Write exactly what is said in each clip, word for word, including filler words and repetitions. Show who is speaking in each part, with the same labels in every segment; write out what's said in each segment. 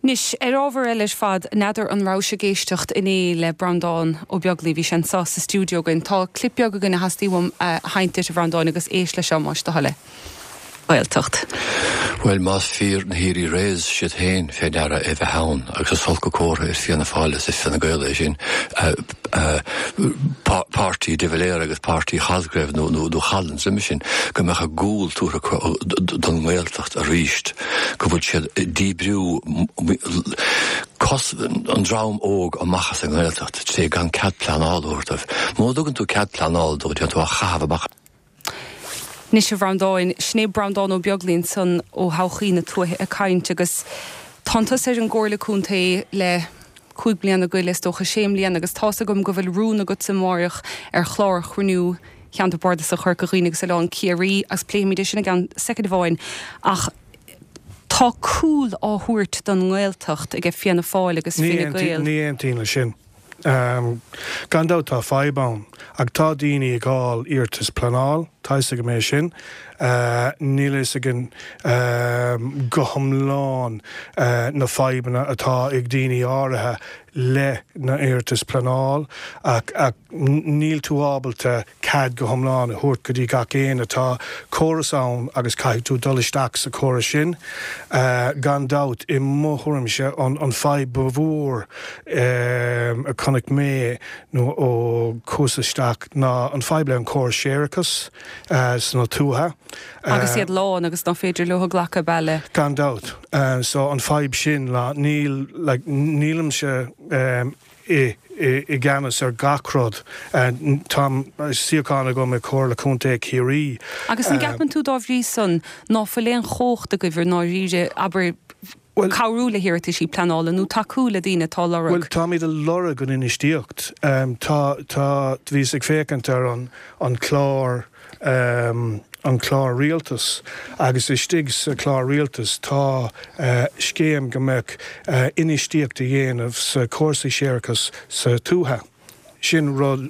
Speaker 1: Anois, ar ábhar eile ar fad, n'fheadar an raibh sibh ag éisteacht inné le Breandán Ó Beaglaoi, bhí sé anseo sa stiúideo againn. Tá clip beag againn a theastaigh uaim a sheinnt duit, a Bhreandáin, agus éist leis seo más do thoil é. Gaeltacht.
Speaker 2: Bhuel, más fíor na hÉirí Reyes siad féin fé deara é bheith ann agus is olc an comhartha ar Fianna Fáil is ar Fine Gael é sin páirtí de Valera agus páirtí Cosgrave nó nó Collins uime sin go mbeadh a gcúl tugtha don nGaeltacht arís go bhfuil siad díbriú cos an dream óg amach as an nGaeltacht tré gan cead pleanála a thabhairt dóibh. Má thugann tú cead pleanála dóibh déan tú a chaitheamh amach.
Speaker 1: Anois a Bhreandáin, sin é Breandán Ó Beaglaoi ansan ó Thodhchaí na Tuaithe ag caint agus tá tusa ar an gComhairle Contae le cúig bliana go leith, is dócha sé mbliana agus tá's agam go bhfuil rún agat amárach ar chlár chruinniú Cheantar Bardasach Chorca Dhuibhne agus Oileán Ciarraí agus pléifimid é sin i gceann soicind amháin ach tá cúl á thabhairt don nGaeltacht ag Fianna Fáil agus Fine Gael.
Speaker 3: Ní aontaím le sin. Um, gan dabht tá fadhb ann, ach tá daoine ag fáil iarratas pleanáil, tá fhios agam é sin, uh, níl fhios againn um, go hiomlán uh, na fadhbanna atá ag daoine áirithe le na iarratas pleanáil ach, ach níl tú ábalta cead go hiomlán a thabhairt go dtí gach aon atá córas ann agus caithfidh tú dul isteach sa chóras sin. Uh, gan dabht i mo thuairimse an, an fadhb ba mhór um, a chonaic mé nó ó chuas isteach ná an fadhb le an córas séarachais uh, sna tuaithe.
Speaker 1: Agus iad lán agus ná féidir leo glacadh baile.
Speaker 3: Gan dabht. Uh, so an fadhb sin lá níl like, nílimse um, i i i gceannas ar gach rud. Uh, tá suíochán agam i Comhairle Contae Chiarraí.
Speaker 1: Agus an gceapann tú dá bhrí san ná fuil aon chumhacht agaibh ná ríre abair
Speaker 3: Well-
Speaker 1: cabhrú le hiarrataisí pleanála nó tacú le daoine atá lorg.
Speaker 3: Well táimid ag lorg an infheistíocht. Um, tá tá bhíos ag féachaint ar an an clár um, an clár rialtas agus istigh sa clár rialtas tá uh, scéim go mbeadh uh, infheistíocht a dhéanamh sa cúrsaí séarachais sa tuaithe. Sin rud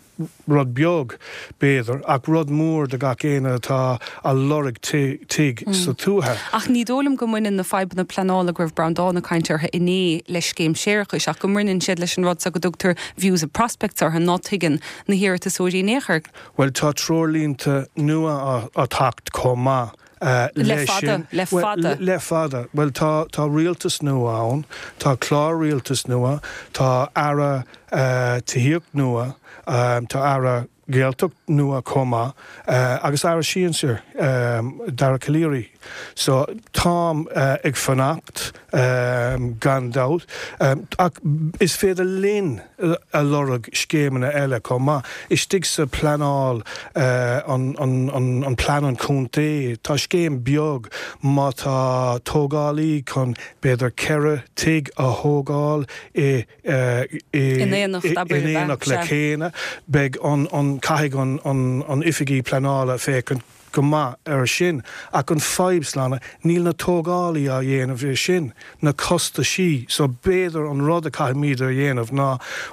Speaker 3: rud beag b'fhéidir ach rud mór do gach aon atá a lorg tigh sa tuaithe.
Speaker 1: Ach ní dóigh liom go mbaineann na fadhbanna pleanála go raibh Breandán ag caint orthu inné le scéim séarachais ach go mbaineann siad leis an rud sa go dtugtar views and prospects orthu ná tuigeann na hiarratasóirí néchar.
Speaker 3: Well tá treoirlínte nua á teacht chomh maith. Uh,
Speaker 1: Le fada, le
Speaker 3: Well,
Speaker 1: fada.
Speaker 3: Le, le fada. Well tá tá rialtas nua ann, tá clár rialtas nua, tá aire uh, tithíocht nua, um, tá aire Gaeltacht nua chomh maith, uh, agus aire sinsir um, Dara Calleary. So táim uh, ag fanacht um, gan dabht. Um, ach is féidir linn a lorg scéimeanna eile chomh maith. Istigh sa pleanáil uh, an, an, an, an plean an contae, tá scéim beag má tá tógálaí chun b'fhéidir ceithre tigh a thógáil i, uh, i,
Speaker 1: In éineacht,
Speaker 3: i-
Speaker 1: abair,
Speaker 3: in éineacht le
Speaker 1: sea.
Speaker 3: chéile, beidh an, an caithfidh an, an, an oifigí pleanála féachaint go maith ar sin ach an fadhb slána níl na tógálaí á dhéanamh é sin na costaisí so b'fhéidir an rud a caithfimid a dhéanamh ná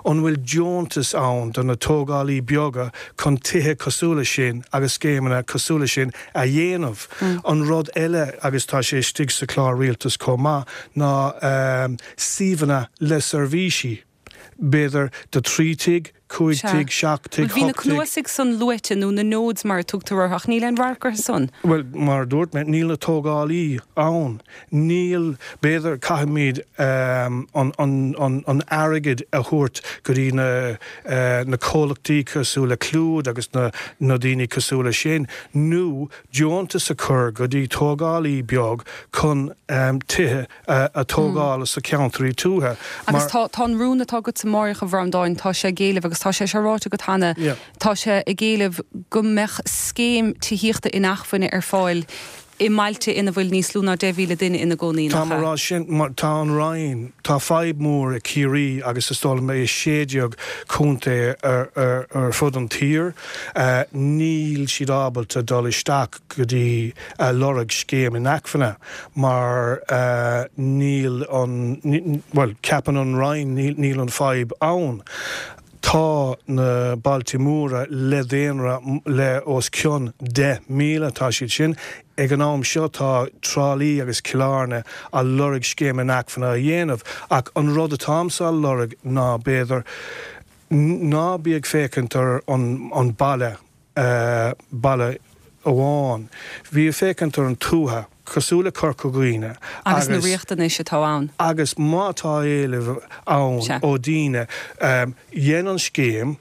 Speaker 3: an bhfuil deontas ann do na tógálaí beaga chun tithe cosúil le sin agus scéimeanna cosúil le sin a dhéanamh. Mm. An rud eile agus tá sé istigh sa chlár rialtas chomh maith ná um, suíomhanna le seirbhísí. B'fhéidir do trí tigh, cúig
Speaker 1: Sea.
Speaker 3: tigh, seacht tigh,
Speaker 1: Bhí na
Speaker 3: hocht tigh.
Speaker 1: cnuasaigh san luaite nó na nodes mar a tugtar orthu ach níl aon radharc orthu san.
Speaker 3: Well mar dúirt mé níl na tógálaí ann. Níl b'fhéidir caithfimid um, an, an, an, an airgead a thabhairt go dtí na, uh, na comhlachtaí cosúil le Clúid agus na, na daoine cosúil le sin, nó deontas a chur go dtí tógálaí beag chun um, tithe uh, a tógáil sa ceantraí tuaithe.
Speaker 1: Agus tá tá an rún atá agat amárach a Bhreandáin tá sé ag éileamh agus tá sé sé ráite agat cheana
Speaker 3: Yeah.
Speaker 1: tá sé ag éileamh go mbeadh scéim tithíochta inacmhainne ar fáil i mbailte ina bhfuil níos lú ná deich míle duine ina gcónaí.
Speaker 3: Tá mar rá sin mar tá an Roinn tá fadhb mór i Ciarraí agus is dóigh liom é sé déag contae ar, ar, ar fud an tír. Uh, níl siad ábalta dul isteach go dtí uh, lorg scéim inacmhainne mar uh, níl an ní, well ceapann an Roinn níl, níl an fadhb ann. Tá na bailte móra le daonra le os cionn deich míle, tá siad sin. Ag an am seo tá Trá Lí agus Cill Airne á lorg scéim inacmhainne a dhéanamh, ach an rud atáimse á lorg ná b'fhéidir ná bí ag féachaint ar an baile, baile amháin. Bí ag féachaint ar an tuath, cosúil le Corca Dhuibhne.
Speaker 1: Agus na riachtanais atá ann.
Speaker 3: Agus má tá éileamh ann ó daoine, dhéan an scéim,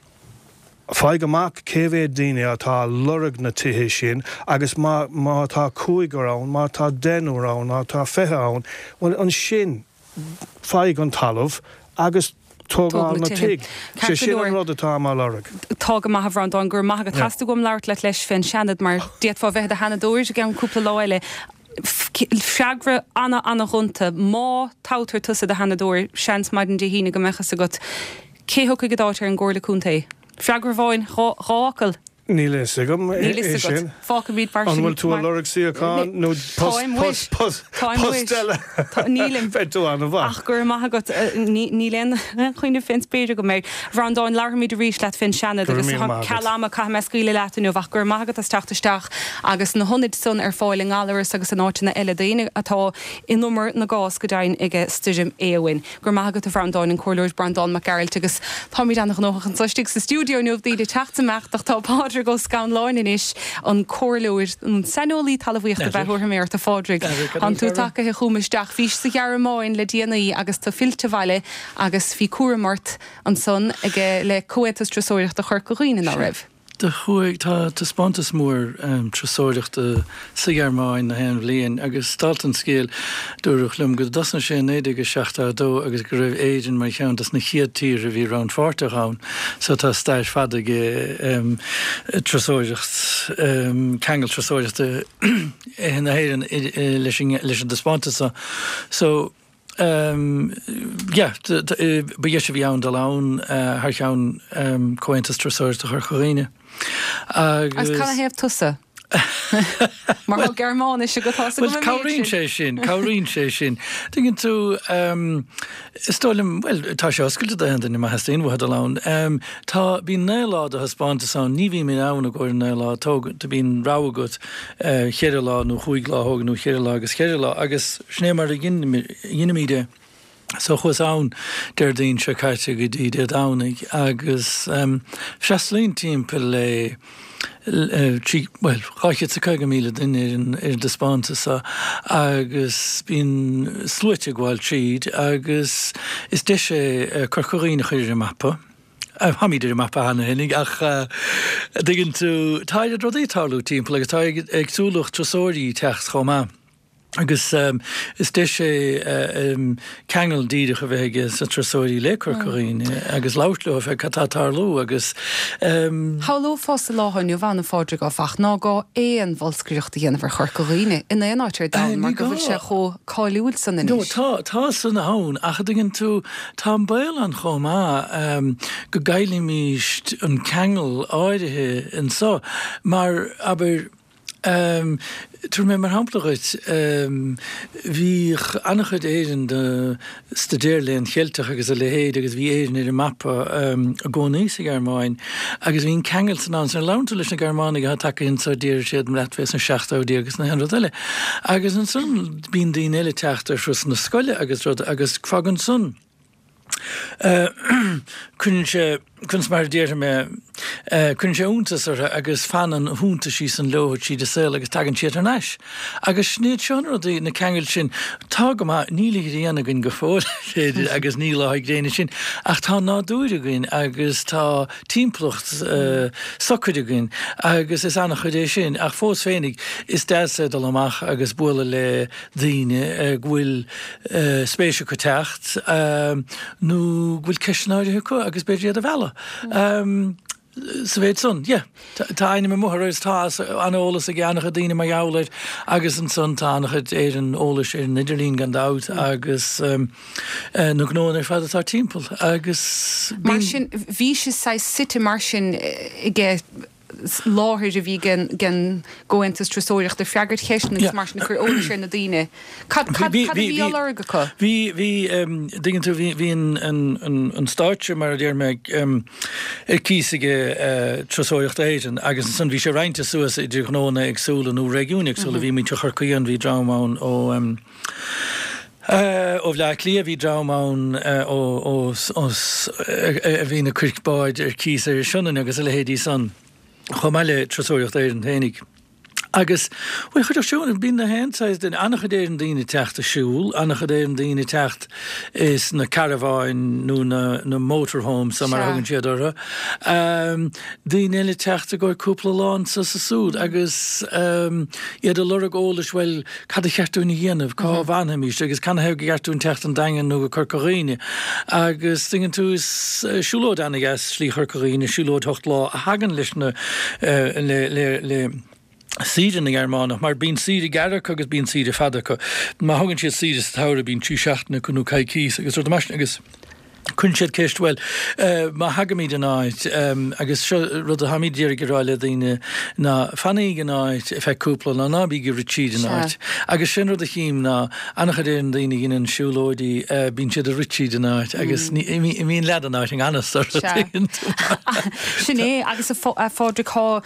Speaker 3: faigh amach cé mhéad daoine atá ag lorg na tithe sin agus má má tá cúigear ann, má tá deichniúr ann, má tá fiche ann, bhuel ansin faigh an talamh agus tógáil na tigh. Sé sin an rud atáim á lorg.
Speaker 1: Tá go maith a Bhreandáin, go raibh maith agat. Theastaigh uaim labhairt leat leis fén Seanad mar d'fhéadfá bheith i do Sheanadóir i gceann cúpla lá eile. Freagra ana-ana-ghonta, má toghtar tusa i do Sheanadóir, seans maidin Dé hAoine go mbeadh fhios agat cé thiocfaidh i d'áit ar an gComhairle Contae. Freagra amháin, dhá fhocal.
Speaker 3: Níl a fhios agam
Speaker 1: Níl a fhios agat. Fágfaimid mar
Speaker 3: sin. An bhfuil tú ag lorg suíochán nó post post post eile?
Speaker 1: Nílim.
Speaker 3: Beidh tú an-mhaith.
Speaker 1: Ach go raibh maith agat. Níl aon chuimhneamh fén spéir agam air. A Bhreandáin, labharfaimid arís leat fén Seanad agus ceal ama caithfidh mé scaoileadh leat inniu ach go raibh maith agat as teacht isteach agus na hionaid san ar fáil i nGallaras agus in áiteanna eile d'éinne atá in umar na gcás go deimhin ag Stoirm Éowyn. Go raibh maith agat a Bhreandáin, an Comhairleoir Breandán Mac Gearailt agus táimid an-ghnóthach anseo istigh sa stiúideo inniu, daoine ag teacht is imeacht ach tá Pádraig Ó Scanláin anois, an comhairleoir, an saineolaí talmhaíochta ab ea thabharfaidh mé ort a Phádraig. Tánn tú tagaithe chugam isteach. Bhís sa Ghearmáin le déanaí agus tú fillte abhaile agus bhí cúram ort ansan ag le Comhaontas Turasóireachta Chorca Dhuibhne, ná raibh?
Speaker 4: Do chuaigh, tá taispeántas mór turasóireachta sa Ghearmáin na haon bhliain agus dálta an scéil, dúradh liom go dtosnaigh sé i naoi déag a seachtó a dó agus go raibh Éirinn mar cheann dos na chéad tíortha a bhí rannpháirteach ann. So tá stair fada ag turasóireacht, ceangal turasóireachta na hÉireann leis an dtaispeántas seo. So. Yeah, ba dheis a bhí ann dul ann thar cheann Comhaontas Turasóireachta Chorca Dhuibhne.
Speaker 1: Agus canathaobh tusa? Mar tá Gearmáinis agat tá
Speaker 4: Well, cabhraíonn sé sin, cabhraíonn sé sin. Tuigeann tú, is dóigh liom, bhuel, tá sé oscailte d'aon duine má theastaíonn uathu dul ann. Tá, bíonn naoi lá de thaispeántas ann, ní bhím ann i gcomhair naoi lá, tóg, bíonn rogha agat cheithre lá nó chúig lá a thógáil nó cheithre lá agus cheithre lá agus sin é mar a dheinimid é. So chuas ann Déardaoin seo caite go dtí Dé Domhnaigh agus freastalaíonn timpeall le trí, bhuel, dhá chéad is a caoga míle duine ar an ar an dtaispeántas seo agus bíonn sluaite ag gabháil tríd agus is deis é Corca Dhuibhne a chur ar an mapa. Táimid ar an mapa cheana féinig ach a dtuigeann tú, tá oiread rudaí ag tarlú timpeall agus tá éagsúlacht turasóirí ag teacht chomh maith. Agus is deis é ceangal díreach a bheith aige sna turasóirí le Corca Dhuibhne agus labhairt leo fé cad tá ag tarlú agus.
Speaker 1: Shamhlófá sa lá inniu ann, a Phádraig, áfach, ná gá aon bholscaireacht a dhéanamh ar Chorca Dhuibhne in aon áit ar domhan mar go bhfuil sé chomh cáiliúil san
Speaker 4: anois. No, tá, tá san ann ach a dtuigeann tú, tá an baol ann chomh maith go gcaillfimíst an ceangal áirithe anso mar, abair, Tabharfaidh mé mar shampla dhuit, bhíodh an-chuid Éireann do staidéar léann Cheilteach agus a leithéid agus bhí Éirinn ar an mapa i gcónaí sa Ghearmáin agus bhí an ceangal san ann. Nuair a labhrann tú leis na Gearmánaigh atá tagtha anso déarfaidh siad leat fé sna seachtóidí agus na haon rud eile. Agus ansan bíonn daoine eile ag teacht ar thurasanna scoile agus rud agus fágann san Cuireann sé, conas mar a déarfaidh mé, cuireann sé iontas orthu agus fanann na hiontaisí san leo tríd an saol agus tagann siad thar n-ais. Agus sin iad seo na rudaí, na ceangail sin. Tá go maith, níl an ghrian againn go fóill, b'fhéidir, agus ní lá gréine sin, ach tá nádúr againn agus tá timpeallacht socair againn agus is an-chuid é sin. Ach fós féinig, is deas é dul amach agus bualadh le daoine go bhfuil spéis acu teacht nó go bhfuil ceisteanna áirithe acu agus b'fhéidir iad a mhealladh sa mhéid san. Yeah, tá ainm amuigh air agus tá an-eolas ag an-chuid daoine mar gheall air agus ansan tá an-chuid ar an eolais ar an idirlíon gan dabht agus na gnóanna ar fad atá timpeall agus
Speaker 1: Mar sin, bhí sé saghas suite mar sin aige láthair a bhí ag an gComhaontas Turasóireachta ag freagairt ceisteanna agus mar sin ag cur eolais ar na daoine. Cad a bhí á lorg acu?
Speaker 4: Bhí, bhí, dtuigeann tú, bhí an stáitse, mar a deir mé, ar cíos ag Turasóireacht Éireann agus ansan bhí sé roinnte suas idir gnóanna éagsúla nó réigiúin éagsúla. Bhí muintir Chorcaí ann, bhí dream ann ó ó Bhleá Cliath, bhí dream ann ó ó a bhíonn ag cur báid ar cíos ar an Sionainn agus a leithéidí san, chomh maith le Turasóireacht Éireann féinig. Agus, bhuel, chuideodh siúd, bíonn na haon saghas duine, an-chuid Éireann daoine ag teacht ag siúl, an-chuid Éireann daoine ag teacht is na carabháin nó na, na motorhomes mar a thugann siad orthu. Daoine eile ag teacht i gcomhair cúpla lá anso is ansúd agus iad ag lorg eolais, bhuel, cad a cheart dúinn a dhéanamh, cá bhfanfaimís agus canathaobh gur cheart dúinn teacht an Daingean nó go Corca Dhuibhne. Agus, tuigeann tú, is siúlóid an-dheas Slí Chorca Dhuibhne, siúlóid ocht lá a thagann leis na, le, le, le, saoire na nGearmánach, mar bíonn saoire gearr acu agus bíonn saoire fada acu. Má thugann siad saoire sa tsamhradh bíonn trí seachtaine acu nó coicís agus rud mar sin agus cuireann siad ceist, bhuel, má thagaimid in áit, agus seo rud atáimid d'iarraidh a rá le daoine, ná fanaíg in áit ar feadh cúpla lá, ná bíg ag rith tríd an áit. Agus sin rud a chím ná an-chuid de na daoine a dheineann siúlóidí, bíonn siad ag rith tríd an áit agus imíonn leath den áit i ngan fhios orthu.
Speaker 1: Sin é, agus a Phádraig, tá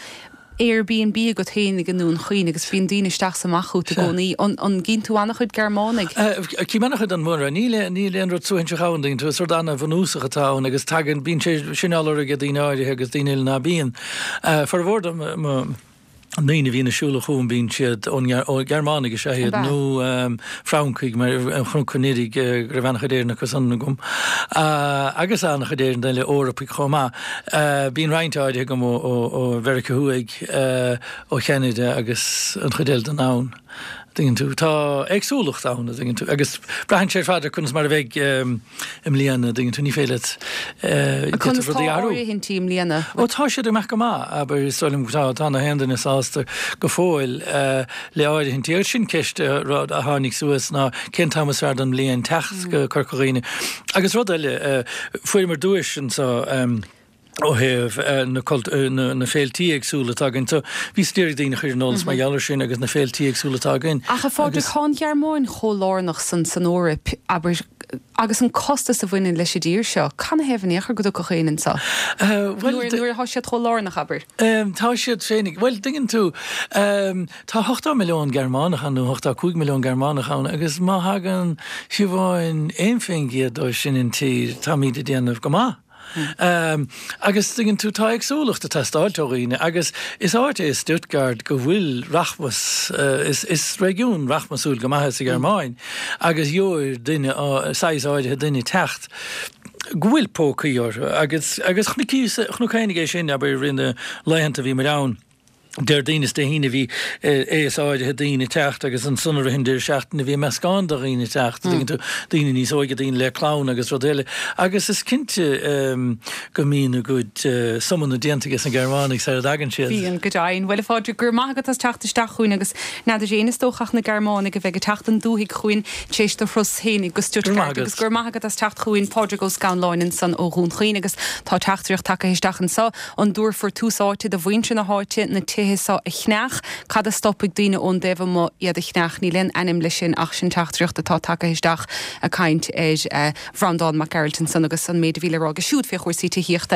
Speaker 1: Airbnb agat féin i nDún Chaoin agus bíonn daoine isteach 's amach chút i gcónaí. An gcíonn tú an-chuid Gearmánaigh?
Speaker 4: Cím an-chuid an mhóra. Níl níl aon rud suaithinseach ann, tuigeann tú, is rud an-bhunúsach atá ann agus tagann, bíonn sé sin á lorg ag daoine áirithe agus daoine eile ná bíonn. Formhór de mo ndaoine a bhíonn ag siúl chugam bíonn siad ón ó Ghearmánaigh is ea iad nó Francaigh mar ar Chnoc an Fhoirigh go raibh an-chuid Éireannach acu san agam agus an-chuid Éireann eile Eorpaigh chomh maith. Bíonn roinnt áirithe agam ó Mheiriceá Thuaidh, ó Cheanada agus an chuid eile den domhan. Tuigeann tú, tá éagsúlacht ann, tuigeann tú, agus braitheann sé ar fad ar conas mar a bheidh i mbliana, tuigeann tú, ní féidir leat
Speaker 1: Conas tá áirithintí i mbliana?
Speaker 4: Ó tá siad ag imeacht go maith, abair, is dóigh liom tá, tá na haon duine sásta go fóill le áirithintí. Agus sin ceist a tháinig suas ná cén t-am is fearr den mbliain teacht go Corca Dhuibhne. Agus rud eile, fuaireamar duais anseo, ó thaobh na na féiltí éagsúla atá againn. So bhíos ag iarraidh daoine a chur ar an eolas mar gheall ar sin agus na féiltí éagsúla atá againn.
Speaker 1: Ach a Phádraig, tá an Ghearmáin chomh lárnach san san Eoraip, abair, agus an costas a bhaineann leis an dtír seo, canathaobh in aon chor go dtiocfadh éinne anso? Nuair nuair atá siad chomh lárnach, abair.
Speaker 4: Tá siad féinig, bhuel, tuigeann tú, tá ochtó milliún Gearmánach ann nó ochtó cúig milliún Gearmánach ann agus má thagann fiú amháin aon faoin gcéad dóibh sin an tír, táimid ag déanamh go maith. Agus tuigeann tú, tá éagsúlacht ag teastáilt ó dhaoine agus is áit é Stuttgart go bhfuil rachmas, is is réigiún rachmasúil go maith é sa Ghearmáin agus gheobhair duine, saghas áirithe duine teacht go bhfuil pócaí orthu agus agus chonac féinig é sin, abair, i rith na laethanta a bhí muid ann. Déardaoin is Dé hAoine bhí aos áirithe daoine ag teacht agus ansan i rith an deireadh seachtaine bhí meascán de dhaoine ag teacht, an dtuigeann tú, daoine níos óige, daoine le clann agus rud eile. Agus is cinnte go mbíonn a gcuid sumanna déanta ages na Gearmánaigh sara dtagann siad.
Speaker 1: Bíonn, go deimhin. Bhuel, a Phádraig, go raibh maith agat as teacht isteach chugainn agus n'fheadar éinne is dócha ach na Gearmánaigh a bheidh ag teacht an dúthaigh chugainn tar éis do thuras fhéinig go
Speaker 4: Go raibh maith
Speaker 1: Stuttgart agus
Speaker 4: agat.
Speaker 1: go raibh maith agat as teacht chugainn, Pádraig Ó Scanláin ansan ó Dhún Chaoin agus tá teachtaireacht tagtha isteach anso. An dtabharfar tús áite do mhuintir na háite na tithe seo a cheannach? Cad a stopfaidh daoine ón dtaobh amuigh iad a cheannach? Níl aon ainm leis sin ach sin teachtaireacht atá tagtha isteach ag caint ar Bhreandán Mac Gearailt ansan agus an méid a bhí le rá aige siúd fé chúrsaí tithíochta.